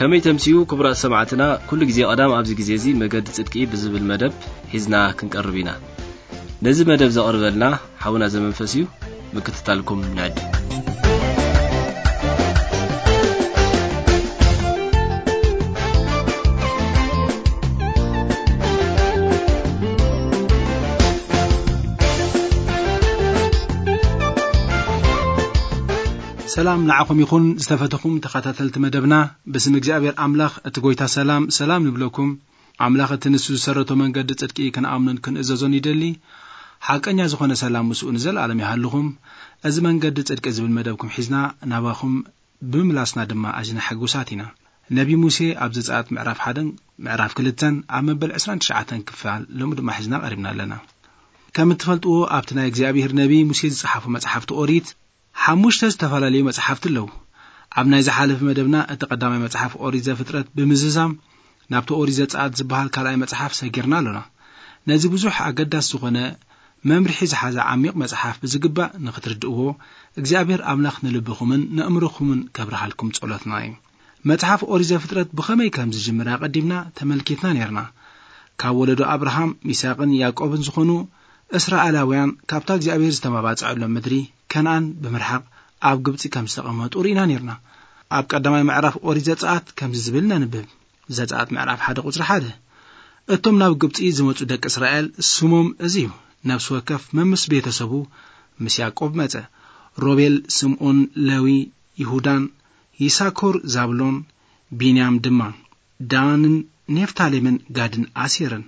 ከመይ ተምስዩ ክቡራት ሰማዕትና፣ ኩሉ ግዜ ቀዳም ኣብዚ ግዜ እዚ መገዲ ጽድቂ ብዝብል መደብ ሒዝና ክንቀርብ ኢና። ነዚ መደብ ዘቕርበልና ሓውና ዘመንፈስ እዩ። ምክትታልኩም ንዕድም። ሰላም ንዓኹም ይኹን ዝተፈተኹም ተኸታተልቲ መደብና። ብስም እግዚኣብሔር ኣምላኽ እቲ ጎይታ ሰላም ሰላም ንብለኩም። ኣምላኽ እቲ ንሱ ዝሰረቶ መንገዲ ጽድቂ ክንኣምኖን ክንእዘዞን ይደሊ። ሓቀኛ ዝኾነ ሰላም ምስኡ ንዘለኣለም ይሃልኹም። እዚ መንገዲ ጽድቂ ዝብል መደብኩም ሒዝና ናባኹም ብምምላስና ድማ ኣዝና ሕጉሳት ኢና። ነቢ ሙሴ ኣብ ዘጸኣት ምዕራፍ ሓደን ምዕራፍ ክልተን ኣብ መበል ዕስራን ትሽዓተን ክፋል ሎሚ ድማ ሒዝና ቀሪብና ኣለና። ከም እትፈልጥዎ ኣብቲ ናይ እግዚኣብሔር ነቢ ሙሴ ዝጸሓፉ መጽሓፍቲ ኦሪት ሓሙሽተ ዝተፈላለዩ መጽሓፍቲ ኣለዉ። ኣብ ናይ ዝሓለፈ መደብና እቲ ቀዳማይ መጽሓፍ ኦሪት ዘፍጥረት ብምዝዛም ናብቲ ኦሪት ዘጸኣት ዝበሃል ካልኣይ መጽሓፍ ሰጊርና ኣሎና። ነዚ ብዙሕ ኣገዳሲ ዝኾነ መምርሒ ዝሓዘ ዓሚቕ መጽሓፍ ብዝግባእ ንኽትርድእዎ እግዚኣብሔር ኣምላኽ ንልብኹምን ንእምሮኹምን ከብርሃልኩም ጸሎትና እዩ። መጽሓፍ ኦሪት ዘፍጥረት ብኸመይ ከም ዝጅምር ኣቐዲምና ተመልኪትና ኔርና። ካብ ወለዶ ኣብርሃም፣ ሚሳቕን ያዕቆብን ዝኾኑ እስራኤላውያን ካብታ እግዚኣብሔር ዝተመባጽዐሎም ምድሪ ከነኣን ብምርሓቕ ኣብ ግብጺ ከም ዝተቐመጡ ርኢና ኔርና። ኣብ ቀዳማይ ምዕራፍ ኦሪት ዘጸኣት ከምዚ ዝብል ነንብብ። ዘጸኣት ምዕራፍ ሓደ ቁጽሪ ሓደ። እቶም ናብ ግብጺ ዝመጹ ደቂ እስራኤል ስሞም እዚ እዩ። ነፍሲ ወከፍ መምስ ቤተሰቡ ምስ ያዕቆብ መጸ። ሮቤል፣ ስምዖን፣ ለዊ፣ ይሁዳን፣ ይሳኮር፣ ዛብሎን፣ ቢንያም ድማ፣ ዳንን ኔፍታሌምን ጋድን ኣሴርን።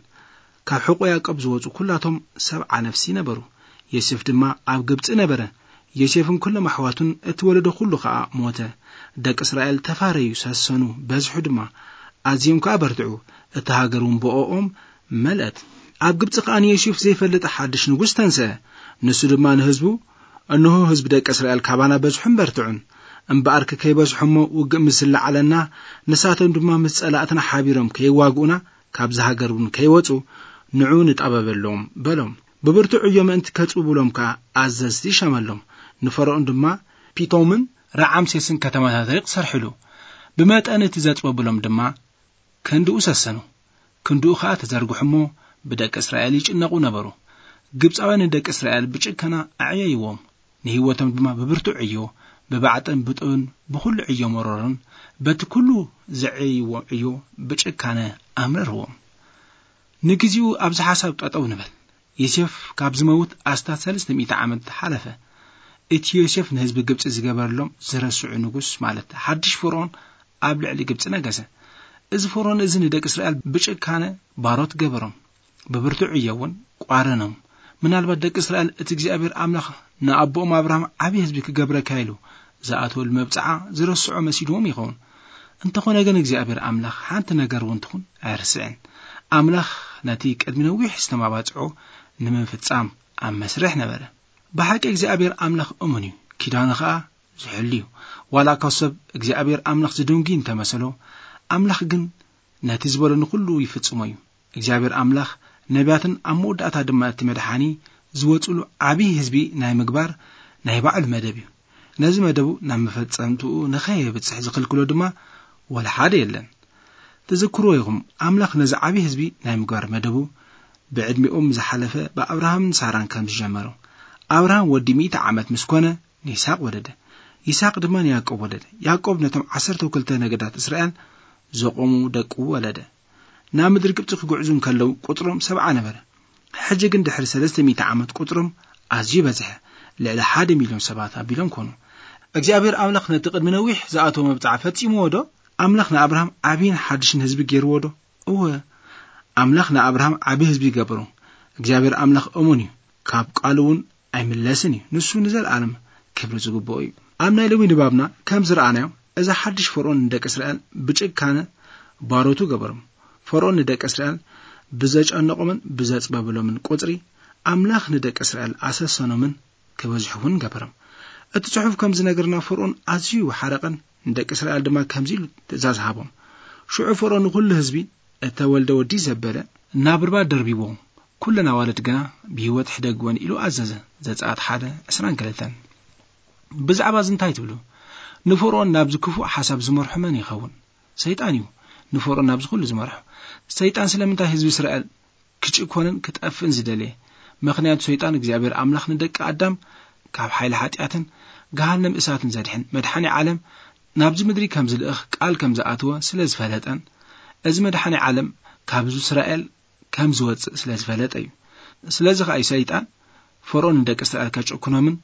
ካብ ሕቆ ያዕቆብ ዝወጹ ኩላቶም ሰብዓ ነፍሲ ነበሩ። ዮሴፍ ድማ ኣብ ግብጺ ነበረ። ዮሴፍን ኩሎም ኣሕዋቱን እቲ ወለዶ ኩሉ ኸኣ ሞተ። ደቂ እስራኤል ተፋረዩ፣ ሰሰኑ፣ በዝሑ ድማ። ኣዝዮም ከኣ በርትዑ። እታ ሃገር እውን ብኦኦም መልአት። ኣብ ግብጺ ከኣ ንዮሴፍ ዘይፈልጥ ሓድሽ ንጉስ ተንስአ። ንሱ ድማ ንህዝቡ፣ "እንሆ ህዝቢ ደቂ እስራኤል ካባና በዝሑን በርትዑን። እምበኣርከ ከይበዝሑ እሞ ውግእ ምስ ዝለዓለና፣ ንሳቶም ድማ ምስ ጸላእትና ሓቢሮም ከይዋግኡና፣ ካብዚ ሃገር እውን ከይወጹ፣ ንዑ ንጣበበሎም" በሎም። ብብርቱዕ ዕዮ ምእንቲ ከጽብብሎም ከኣ ኣዘዝቲ ሸመሎም። ንፈርኦን ድማ ፒቶምን ራዓምሴስን ከተማታት ሪቕ ሰርሕሉ። ብመጠን እቲ ዘጽበብሎም ድማ ክንድኡ ሰሰኑ። ክንድኡ ኸኣ ተዘርግሑ እሞ ብደቂ እስራኤል ይጭነቑ ነበሩ። ግብጻውያን ንደቂ እስራኤል ብጭከና ኣዕየይዎም። ንህይወቶም ድማ ብብርቱዕ ዕዮ፣ ብባዕጥን ብጡብን ብኹሉ ዕዮ መሮርን በቲ ኩሉ ዘዕየይዎ ዕዮ ብጭካነ ኣምረርዎም። ንግዜኡ ኣብዚ ሓሳብ ጠጠው ንበል። ዮሴፍ ካብ ዝመውት ኣስታት ሰለስተ ሚእቲ ዓመት ሓለፈ። እቲ ዮሴፍ ንህዝቢ ግብጺ ዝገበረሎም ዝረስዑ ንጉስ፣ ማለት ሓድሽ ፈርኦን ኣብ ልዕሊ ግብጺ ነገሰ። እዚ ፈርኦን እዚ ንደቂ እስራኤል ብጭካነ ባሮት ገበሮም፣ ብብርቱዕ ዕዮ እውን ቋረኖም። ምናልባት ደቂ እስራኤል እቲ እግዚኣብሔር ኣምላኽ ንኣቦኦም ኣብርሃም ዓብዪ ህዝቢ ክገብረካ ኢሉ ዝኣተወሉ መብጽዓ ዝረስዖ መሲልዎም ይኸውን። እንተኾነ ግን እግዚኣብሔር ኣምላኽ ሓንቲ ነገር እውን ትኹን ኣይርስዕን። ኣምላኽ ነቲ ቅድሚ ነዊሕ ዝተማባጽዖ ንምፍጻም ኣብ መስርሕ ነበረ። ብሓቂ እግዚኣብሔር ኣምላኽ እሙን እዩ፣ ኪዳኑ ኸኣ ዝሕሉ እዩ። ዋላ እኳ ሰብ እግዚኣብሔር ኣምላኽ ዝድንጉ እንተመሰሎ፣ ኣምላኽ ግን ነቲ ዝበሎ ንኹሉ ይፍጽሞ እዩ። እግዚኣብሔር ኣምላኽ ነቢያትን ኣብ መወዳእታ ድማ እቲ መድሓኒ ዝወጽሉ ዓብዪ ህዝቢ ናይ ምግባር ናይ ባዕሉ መደብ እዩ። ነዚ መደቡ ናብ መፈጸምትኡ ንኸየብጽሕ ዝኽልክሎ ድማ ወላ ሓደ የለን። ትዝክርዎ ኢኹም፣ ኣምላኽ ነዚ ዓብዪ ህዝቢ ናይ ምግባር መደቡ ብዕድሚኦም ዝሓለፈ ብኣብርሃምን ሳራን ከም ዝጀመሮ። ኣብርሃም ወዲ ሚእቲ ዓመት ምስ ኮነ ንይስሐቅ ወለደ። ይስሐቅ ድማ ንያዕቆብ ወለደ። ያዕቆብ ነቶም ዓሰርተ ክልተ ነገዳት እስራኤል ዘቆሙ ደቁ ወለደ። ናብ ምድሪ ግብጺ ክጉዕዙ እንከለዉ ቁጽሮም ሰብዓ ነበረ። ሕጂ ግን ድሕሪ ሰለስተ ሚእቲ ዓመት ቁጽሮም ኣዝዩ በዝሐ። ልዕሊ ሓደ ሚልዮን ሰባት ኣቢሎም ኮኑ። እግዚኣብሔር ኣምላኽ ነቲ ቅድሚ ነዊሕ ዝኣተወ መብጽዓ ፈጺምዎ ዶ? ኣምላኽ ንኣብርሃም ዓብይን ሓድሽን ህዝቢ ገይርዎ ዶ? እወ፣ ኣምላኽ ንኣብርሃም ዓቢ ህዝቢ ይገብሮ። እግዚኣብሔር ኣምላኽ እሙን እዩ፣ ካብ ቃሉ እውን ኣይምለስን እዩ። ንሱ ንዘለኣለም ክብሪ ዝግብኦ እዩ። ኣብ ናይ ሎሚ ንባብና ከም ዝረኣናዮ፣ እዚ ሓድሽ ፈርዖን ንደቂ እስራኤል ብጭካነ ባሮቱ ገበሮም። ፈርዖን ንደቂ እስራኤል ብዘጨነቖምን ብዘጽበብሎምን ቁጽሪ፣ ኣምላኽ ንደቂ እስራኤል ኣሰሰኖምን ክበዝሑ እውን ገበሮም። እቲ ጽሑፍ ከም ዝነገርና፣ ፈርዖን ኣዝዩ ሓረቐን ንደቂ እስራኤል ድማ ከምዚ ኢሉ ትእዛዝ ሃቦም። ሽዑ ፈርዖን ንኹሉ ህዝቢ፣ "እተወልደ ወዲ ዘበለ ናብ ርባ ደርቢቦ፣ ኩለን ኣዋልድ ግና ብህይወት ሕደግወን" ኢሉ ኣዘዘ። ዘጸኣት ሓደ ዕስራን ክልተን። ብዛዕባ እዚ እንታይ ትብሉ? ንፈርዖን ናብዚ ክፉእ ሓሳብ ዝመርሖ መን ይኸውን? ሰይጣን እዩ ንፈርኦን ናብዚ ኩሉ ዝመርሖ። ሰይጣን ስለምንታይ ህዝቢ እስራኤል ክጭኮንን ክጠፍእን ዝደለየ? ምኽንያቱ ሰይጣን እግዚኣብሔር ኣምላኽ ንደቂ ኣዳም ካብ ሓይሊ ሓጢኣትን ገሃነም እሳትን ዘድሕን መድሓኒ ዓለም ናብዚ ምድሪ ከም ዝልእኽ ቃል ከም ዝኣተወ ስለ ዝፈለጠን፣ እዚ መድሓኒ ዓለም ካብ ህዝቢ እስራኤል ከም ዝወጽእ ስለ ዝፈለጠ እዩ። ስለዚ ኸኣ እዩ ሰይጣን ፈርኦን ንደቂ እስራኤል ከጭኩኖምን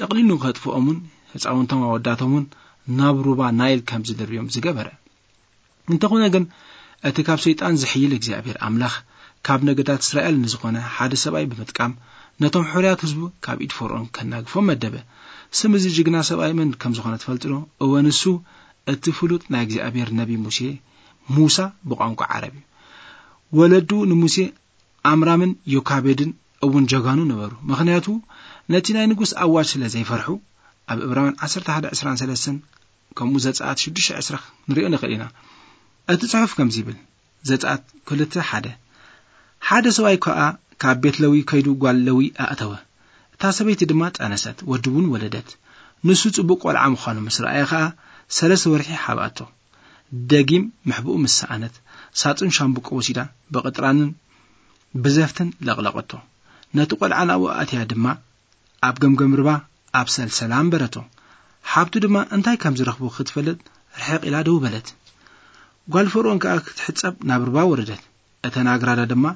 ጠቕሊሉ ከጥፍኦምን ህፃውንቶም ኣወዳቶምን ናብ ሩባ ናይል ከም ዝድርብዮም ዝገበረ። እንተኾነ ግን፣ እቲ ካብ ሰይጣን ዝሕይል እግዚኣብሔር ኣምላኽ ካብ ነገዳት እስራኤል ንዝኾነ ሓደ ሰብኣይ ብምጥቃም ነቶም ሕሩያት ህዝቡ ካብ ኢድ ፈርኦን ከናግፎም መደበ። ስም እዚ ጅግና ሰብኣይ መን ከም ዝኾነ ትፈልጡ ዶ? እወ፣ ንሱ እቲ ፍሉጥ ናይ እግዚኣብሔር ነቢ ሙሴ፣ ሙሳ ብቋንቋ ዓረብ እዩ። ወለዱ ንሙሴ ኣምራምን ዮካቤድን እውን ጀጋኑ ነበሩ። ምኽንያቱ ነቲ ናይ ንጉስ ኣዋጅ ስለ ዘይፈርሑ፣ ኣብ ዕብራውያን ዓሰርተ ሓደ ዕስራን ሰለስተን ከምኡ ዘጸኣት ሽዱሽተ ዕስራ ክንሪኦ ንኽእል ኢና። እቲ ጽሑፍ ከምዚ ይብል፣ ዘጸኣት ክልተ ሓደ፣ ሓደ ሰብኣይ ከኣ ካብ ቤት ለዊ ከይዱ ጓል ለዊ ኣእተወ። እታ ሰበይቲ ድማ ጠነሰት፣ ወዲ እውን ወለደት። ንሱ ጽቡቕ ቆልዓ ምዃኑ ምስ ረኣየ ኸኣ ሰለስተ ወርሒ ሓብኣቶ። ደጊም ምሕብኡ ምስ ሰኣነት፣ ሳጹን ሻምብቆ ወሲዳ ብቕጥራንን ብዘፍትን ለቕለቐቶ። ነቲ ቆልዓ ናብኡ ኣእትያ ድማ ኣብ ገምገም ርባ ኣብ ሰልሰላ ኣንበረቶ። ሓብቱ ድማ እንታይ ከም ዝረኽቡ ክትፈልጥ ርሕቕ ኢላ ደው በለት። ጓል ፈርኦን ከኣ ክትሕጸብ ናብ ርባ ወረደት። እተን ኣግራዳ ድማ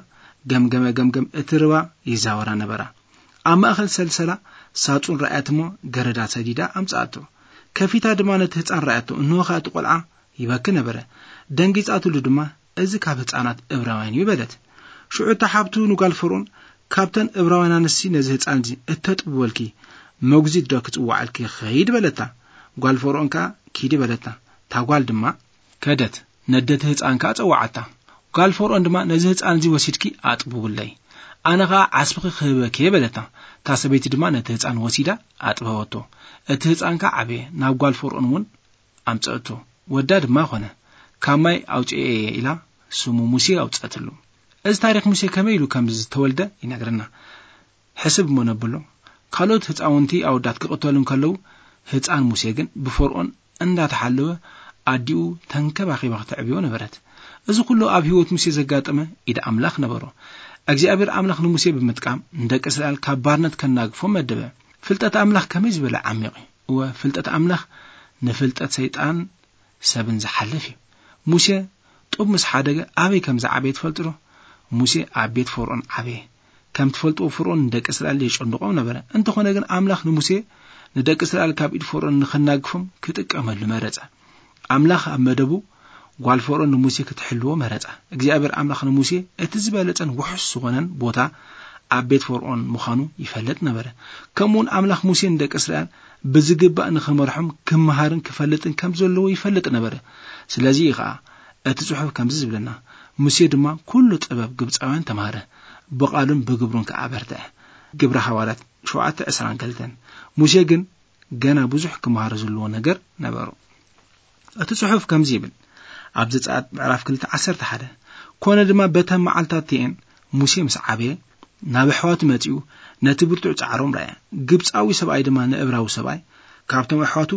ገምገመ ገምገም እቲ ርባ ይዛወራ ነበራ። ኣብ ማእከል ሰልሰላ ሳጹን ረኣየት እሞ ገረዳ ሰዲዳ ኣምጽኣቶ። ከፊታ ድማ ነቲ ህጻን ረኣየቶ፣ እንሆ ከኣ እቲ ቆልዓ ይበኪ ነበረ። ደንጊጻትሉ ድማ፣ "እዚ ካብ ህጻናት እብራውያን እዩ" በለት። ሽዑ እታ ሓብቱ ንጓል ፈርኦን፣ "ካብተን እብራውያን ኣንስቲ ነዚ ህጻን እዚ እተጥብወልኪ መጉዚት ዶ ክጽውዓልኪ ክኸይድ?" በለታ። ጓል ፈርኦን ከኣ፣ "ኪዲ" በለታ። እታ ጓል ድማ ከደት፣ ነደቲ ህጻን ከኣ ጸውዓታ። ጓል ፈርኦን ድማ፣ "ነዚ ህጻን እዚ ወሲድኪ ኣጥብውለይ፣ ኣነ ኸኣ ዓስብኺ ክህበኪ እየ" በለታ። እታ ሰበይቲ ድማ ነቲ ህጻን ወሲዳ ኣጥበወቶ። እቲ ህጻን ከኣ ዓበየ፣ ናብ ጓል ፈርኦን እውን ኣምጸእቶ። ወዳ ድማ ኾነ፣ "ካብ ማይ ኣውጽኤ እየ" ኢላ ስሙ ሙሴ ኣውጸእትሉ። እዚ ታሪኽ ሙሴ ከመይ ኢሉ ከም ዝተወልደ ይነግረና። ሕስብ እሞ ነብሎ። ካልኦት ህጻውንቲ ኣወዳት ክቕተሉ እንከለዉ፣ ህጻን ሙሴ ግን ብፈርኦን እንዳተሓለወ ኣዲኡ ተንከባኺባ ክተዕብዮ ነበረት። እዚ ኩሉ ኣብ ህይወት ሙሴ ዘጋጠመ ኢድ ኣምላኽ ነበሮ። እግዚኣብሔር ኣምላኽ ንሙሴ ብምጥቃም ንደቂ እስራኤል ካብ ባርነት ከናግፎም መደበ። ፍልጠት ኣምላኽ ከመይ ዝበለ ዓሚቕ እዩ! እወ፣ ፍልጠት ኣምላኽ ንፍልጠት ሰይጣን ሰብን ዝሓልፍ እዩ። ሙሴ ጡብ ምስ ሓደገ ኣበይ ከም ዝዓበየ ትፈልጡ ዶ? ሙሴ ኣብ ቤት ፈርኦን ዓበየ። ከም ትፈልጥዎ፣ ፈርኦን ንደቂ እስራኤል የጨንቖም ነበረ። እንተኾነ ግን፣ ኣምላኽ ንሙሴ ንደቂ እስራኤል ካብ ኢድ ፈርኦን ንኸናግፎም ክጥቀመሉ መረጸ። ኣምላኽ ኣብ መደቡ ጓል ፈርኦን ንሙሴ ክትሕልዎ መረጸ። እግዚኣብሔር ኣምላኽ ንሙሴ እቲ ዝበለጸን ውሑስ ዝኾነን ቦታ ኣብ ቤት ፈርኦን ምዃኑ ይፈልጥ ነበረ። ከምኡውን ኣምላኽ ሙሴ ንደቂ እስራኤል ብዝግባእ ንኽመርሖም ክመሃርን ክፈልጥን ከም ዘለዎ ይፈልጥ ነበረ። ስለዚ እዩ ኸኣ እቲ ጽሑፍ ከምዚ ዝብለና፣ "ሙሴ ድማ ኩሉ ጥበብ ግብጻውያን ተማህረ፣ ብቓሉን ብግብሩን ከኣ በርትዐ።" ግብረ ሃዋርያት ሸውዓተ ዕስራን ክልተን። ሙሴ ግን ገና ብዙሕ ክመሃሮ ዘለዎ ነገር ነበሮ። እቲ ጽሑፍ ከምዚ ይብል፣ ኣብ ዘጸኣት ምዕራፍ ክልተ ዓሰርተ ሓደ፣ "ኮነ ድማ በተን መዓልትታት እቲኤን ሙሴ ምስ ዓበየ፣ ናብ ኣሕዋቱ መጺኡ፣ ነቲ ብርቱዕ ጻዕሮም ረኣየ። ግብጻዊ ሰብኣይ ድማ ንእብራዊ ሰብኣይ ካብቶም ኣሕዋቱ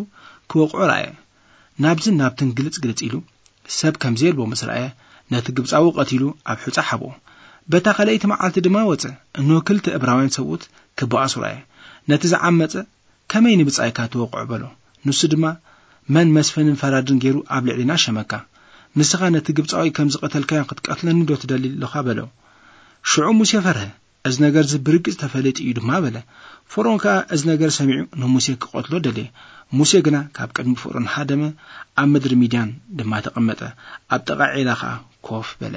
ክወቕዖ ረኣየ። ናብዝን ናብትን ግልጽ ግልጽ ኢሉ፣ ሰብ ከም ዘየልቦ ምስ ረኣየ፣ ነቲ ግብጻዊ ቀቲሉ ኣብ ሑጻ ሓብኦ። በታ ካልኣይቲ መዓልቲ ድማ ወጸ፣ እንሆ ክልተ እብራውያን ሰብኡት ክበኣሱ ረኣየ። ነቲ ዝዓመጸ ከመይ ንብጻይካ ትወቕዖ?" በሎ። ንሱ ድማ፣ "መን መስፍንን ፈራድን ገይሩ ኣብ ልዕሊና ሸመካ? ንስኻ ነቲ ግብጻዊ ከም ዝቐተልካዮ ክትቀትለኒ ዶ ትደሊ ኣለኻ?" በሎ። ሽዑ ሙሴ ፈርሀ። "እዚ ነገር እዚ ብርግጽ ተፈሊጡ እዩ ድማ" በለ። ፈርኦን ከኣ እዚ ነገር ሰሚዑ ንሙሴ ክቐትሎ ደለየ። ሙሴ ግና ካብ ቅድሚ ፈርኦን ሃደመ፣ ኣብ ምድሪ ሚድያን ድማ ተቐመጠ። ኣብ ጥቓ ዒላ ከኣ ኮፍ በለ።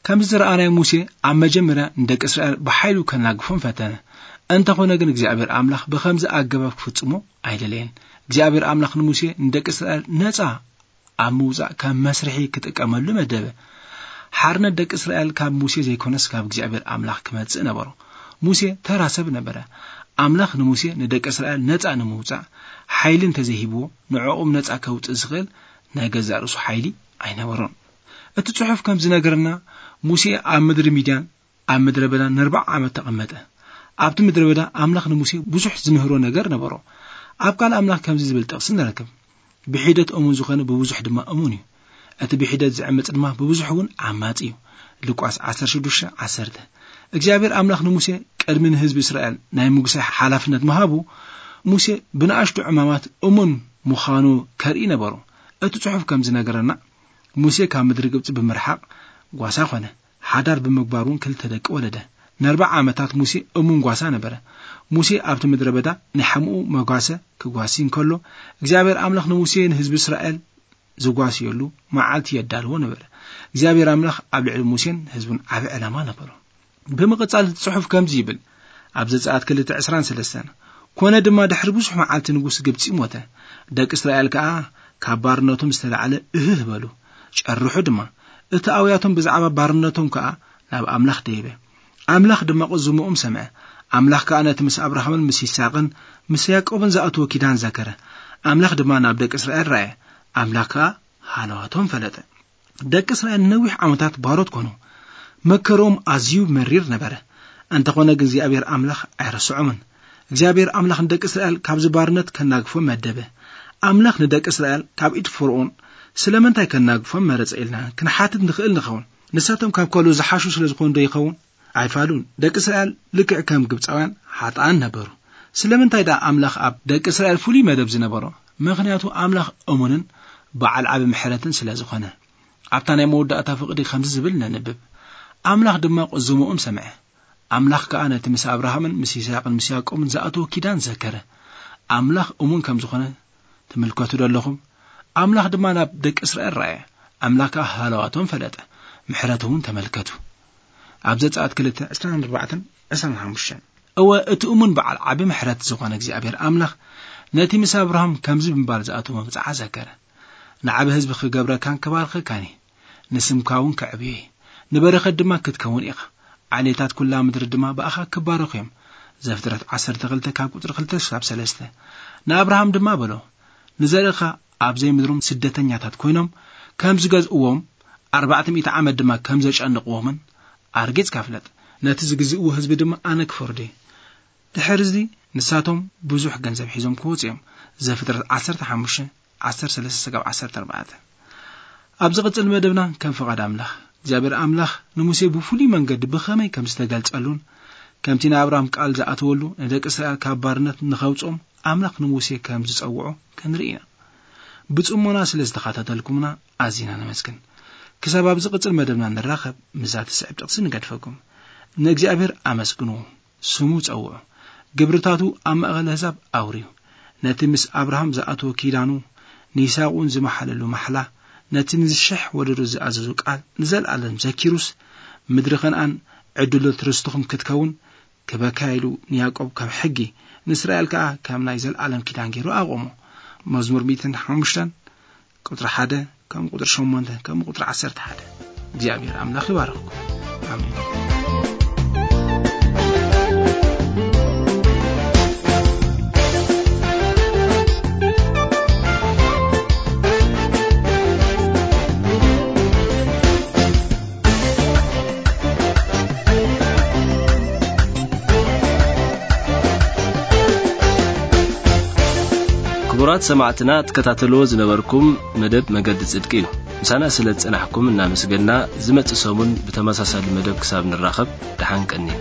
ከምዚ ዝረኣናዮ፣ ሙሴ ኣብ መጀመርያ ንደቂ እስራኤል ብሓይሉ ከናግፎም ፈተነ። እንተኾነ ግን እግዚኣብሔር ኣምላኽ ብኸምዚ ኣገባብ ክፍጽሞ ኣይደለየን። እግዚኣብሔር ኣምላኽ ንሙሴ ንደቂ እስራኤል ነጻ ኣብ ምውጻእ ከም መስርሒ ክጥቀመሉ መደበ። ሓርነት ደቂ እስራኤል ካብ ሙሴ ዘይኮነስ ካብ እግዚኣብሔር ኣምላኽ ክመጽእ ነበሮ። ሙሴ ተራ ሰብ ነበረ። ኣምላኽ ንሙሴ ንደቂ እስራኤል ነጻ ንምውጻእ ሓይሊ እንተዘይሂብዎ፣ ንዕኦም ነጻ ከውጽእ ዝኽእል ናይ ገዛእ ርእሱ ሓይሊ ኣይነበሮን። እቲ ጽሑፍ ከም ዝነገረና፣ ሙሴ ኣብ ምድሪ ሚድያን ኣብ ምድረ በዳ ንኣርብዓ ዓመት ተቐመጠ። ኣብቲ ምድረ በዳ ኣምላኽ ንሙሴ ብዙሕ ዝምህሮ ነገር ነበሮ። ኣብ ቃል ኣምላኽ ከምዚ ዝብል ጥቕሲ ንረክብ፣ "ብሒደት እሙን ዝኾነ ብብዙሕ ድማ እሙን እዩ። እቲ ብሒደት ዝዕምጽ ድማ ብብዙሕ እውን ዓማጺ እዩ። ሉቃስ ዓሰርተ ሽዱሽተ ዓሰርተ። እግዚኣብሔር ኣምላኽ ንሙሴ ቅድሚ ንህዝቢ እስራኤል ናይ ምጉሳይ ሓላፍነት ምሃቡ፣ ሙሴ ብንኣሽቱ ዕማማት እሙን ምዃኑ ከርኢ ነበሩ። እቲ ጽሑፍ ከም ዝነገረና፣ ሙሴ ካብ ምድሪ ግብጺ ብምርሓቕ ጓሳ ኾነ። ሓዳር ብምግባር እውን ክልተ ደቂ ወለደ። ንኣርብዓ ዓመታት ሙሴ እሙን ጓሳ ነበረ። ሙሴ ኣብቲ ምድረ በዳ ናይ ሓምኡ መጓሰ ክጓሲ እንከሎ፣ እግዚኣብሔር ኣምላኽ ንሙሴ ንህዝቢ እስራኤል ዝጓስየሉ መዓልቲ የዳልዎ ነበረ። እግዚኣብሔር ኣምላኽ ኣብ ልዕሊ ሙሴን ህዝቡን ዓቢ ዕላማ ነበሮ። ብምቕጻል እቲ ጽሑፍ ከምዚ ይብል፣ ኣብ ዘጸኣት ክልተ ዕስራን ሰለስተን፣ "ኮነ ድማ ድሕሪ ብዙሕ መዓልቲ ንጉስ ግብጺ ሞተ። ደቂ እስራኤል ከኣ ካብ ባርነቶም ዝተላዕለ እህህ በሉ፣ ጨርሑ ድማ። እቲ ኣውያቶም ብዛዕባ ባርነቶም ከኣ ናብ ኣምላኽ ደየበ። ኣምላኽ ድማ ቅዝምኦም ሰምዐ። ኣምላኽ ከኣ ነቲ ምስ ኣብርሃምን ምስ ይስሐቅን ምስ ያዕቆብን ዝኣተዎ ኪዳን ዘከረ። ኣምላኽ ድማ ናብ ደቂ እስራኤል ረኣየ። ኣምላኽ ከኣ ሃለዋቶም ፈለጠ።" ደቂ እስራኤል ነዊሕ ዓመታት ባሮት ኮኑ። መከሮም ኣዝዩ መሪር ነበረ። እንተኾነ ግን እግዚኣብሔር ኣምላኽ ኣይረስዖምን። እግዚኣብሔር ኣምላኽ ንደቂ እስራኤል ካብዚ ባርነት ከናግፎም መደበ። ኣምላኽ ንደቂ እስራኤል ካብ ኢድ ፈርኦን ስለምንታይ ከናግፎም መረጸ ኢልና ክንሓትት ንኽእል ንኸውን። ንሳቶም ካብ ካልኦት ዝሓሹ ስለ ዝኾኑ ዶ ይኸውን? ኣይፋሉን። ደቂ እስራኤል ልክዕ ከም ግብጻውያን ሓጥኣን ነበሩ። ስለምንታይ ደኣ ኣምላኽ ኣብ ደቂ እስራኤል ፍሉይ መደብ ዝነበሮ? ምኽንያቱ ኣምላኽ እሙንን በዓል ዓቢ ምሕረትን ስለ ዝኾነ። ኣብታ ናይ መወዳእታ ፍቕዲ ከምዚ ዝብል ነንብብ፣ "ኣምላኽ ድማ ቅዝምኦም ሰምዐ። ኣምላኽ ከኣ ነቲ ምስ ኣብርሃምን ምስ ይስሐቅን ምስ ያዕቆብን ዝኣተዎ ኪዳን ዘከረ። ኣምላኽ እሙን ከም ዝኾነ ትምልከቱ ዶ ኣለኹም? ኣምላኽ ድማ ናብ ደቂ እስራኤል ረኣየ። ኣምላኽ ከኣ ሃለዋቶም ፈለጠ። ምሕረቱ እውን ተመልከቱ።" ኣብ ዘጸኣት ክልተ፣ ዕስራን ኣርባዕተን፣ ዕስራን ሓሙሽተን። እወ፣ እቲ እሙን በዓል ዓቢ ምሕረት ዝኾነ እግዚኣብሔር ኣምላኽ ነቲ ምስ ኣብርሃም ከምዚ ብምባል ዝኣተዎ መብጽዓ ዘከረ። "ንዓቢ ህዝቢ ክገብረካን ክባርኸካን እየ። ንስምካ እውን ከዕብዮ እየ። ንበረኸት ድማ ክትከውን ኢኻ። ዓሌታት ኩላ ምድሪ ድማ ብኣኻ ክባረኹ እዮም።" ዘፍጥረት ዓሰርተ ክልተ ካብ ቁጽሪ ክልተ ክሳብ ሰለስተ። ንኣብርሃም ድማ በሎ፣ "ንዘርእኻ ኣብ ዘይምድሮም ስደተኛታት ኮይኖም ከም ዝገዝእዎም፣ ኣርባዕተ ሚእቲ ዓመት ድማ ከም ዘጨንቕዎምን ኣርጊጽካ ፍለጥ። ነቲ ዝግዝእዎ ህዝቢ ድማ ኣነ ክፈርዶ እየ። ድሕሪ እዚ ንሳቶም ብዙሕ ገንዘብ ሒዞም ክወጹ እዮም።" ዘፍጥረት ዓሰርተ ሓሙሽተ፣ ዓሰርተ ሰለስተ ክሳብ ዓሰርተ ኣርባዕተ። ኣብ ዝቕጽል መደብና ከም ፍቓድ ኣምላኽ፣ እግዚኣብሔር ኣምላኽ ንሙሴ ብፍሉይ መንገዲ ብኸመይ ከም ዝተገልጸሉን፣ ከምቲ ንኣብርሃም ቃል ዝኣተወሉ ንደቂ እስራኤል ካብ ባርነት ንኸውጽኦም ኣምላኽ ንሙሴ ከም ዝጸውዖ ክንርኢ ኢና። ብጽሞና ስለ ዝተኸታተልኩምና ኣዚና ነመስግን። ክሳብ ኣብ ዝቕጽል መደብና ንራኸብ፣ ምስዛ ትስዕብ ጥቕሲ ንገድፈኩም። ንእግዚኣብሔር ኣመስግንዎ፣ ስሙ ጸውዑ። ግብርታቱ ኣብ ማእከል ኣህዛብ ኣውርዩ። ነቲ ምስ ኣብርሃም ዝኣተዎ ኪዳኑ፣ ንይስሐቅ እውን ዝመሓለሉ ማሕላ፣ ነቲ ንዝሽሕ ወለዶ ዝኣዘዞ ቃል ንዘለኣለም ዘኪሩስ፣ ምድሪ ከነኣን ዕድሎት ርስትኹም ክትከውን ክበካ ኢሉ ንያዕቆብ ከም ሕጊ፣ ንእስራኤል ከኣ ከም ናይ ዘለኣለም ኪዳን ገይሩ ኣቆሞ። መዝሙር ሚእትን ሓሙሽተን ቁጽሪ ሓደ፣ ከም ቁጽሪ ሸሞንተ፣ ከም ቁጽሪ ዓሰርተ ሓደ። እግዚኣብሔር ኣምላኽ ይባርኽኩም። ኣሜን። ክቡራት ሰማዕትና፣ ትከታተልዎ ዝነበርኩም መደብ መገዲ ጽድቂ እዩ። ምሳና ስለ ዝጸናሕኩም እናመስገንና፣ ዝመጽእ ሰሙን ብተመሳሳሊ መደብ ክሳብ ንራኸብ፣ ደሓን ቀንዩ።